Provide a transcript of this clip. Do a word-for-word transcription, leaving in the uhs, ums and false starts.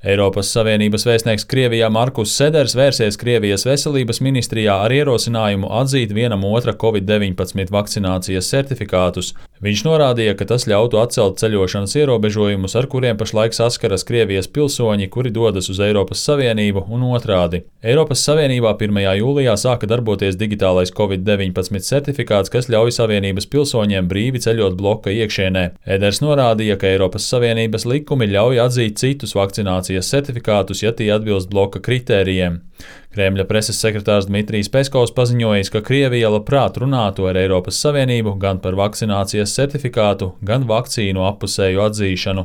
Eiropas Savienības vēstnieks Krievijā Markus Seders vērsies Krievijas veselības ministrijā ar ierosinājumu atzīt vienam otra covid deviņpadsmit vakcinācijas certifikātus. Viņš norādīja, ka tas ļautu atcelt ceļošanas ierobežojumus, ar kuriem pašlaik saskaras Krievijas pilsoņi, kuri dodas uz Eiropas Savienību un otrādi. Eiropas Savienībā pirmajā jūlijā sāka darboties digitālais covid deviņpadsmit certifikāts, kas ļauj Savienības pilsoņiem brīvi ceļot bloka iekšienē. Eders norādīja, ka Eiropas Savienības likumi ļauj atzīt citus vakcinācijas certifikātus, ja tie atbilst bloka kritērijiem. Kremļa preses sekretārs Dmitrijs Peskovs paziņojis, ka Krievija labprāt runātu ar Eiropas Savienību gan par vakcinācijas certifikātu, gan vakcīnu appusēju atzīšanu.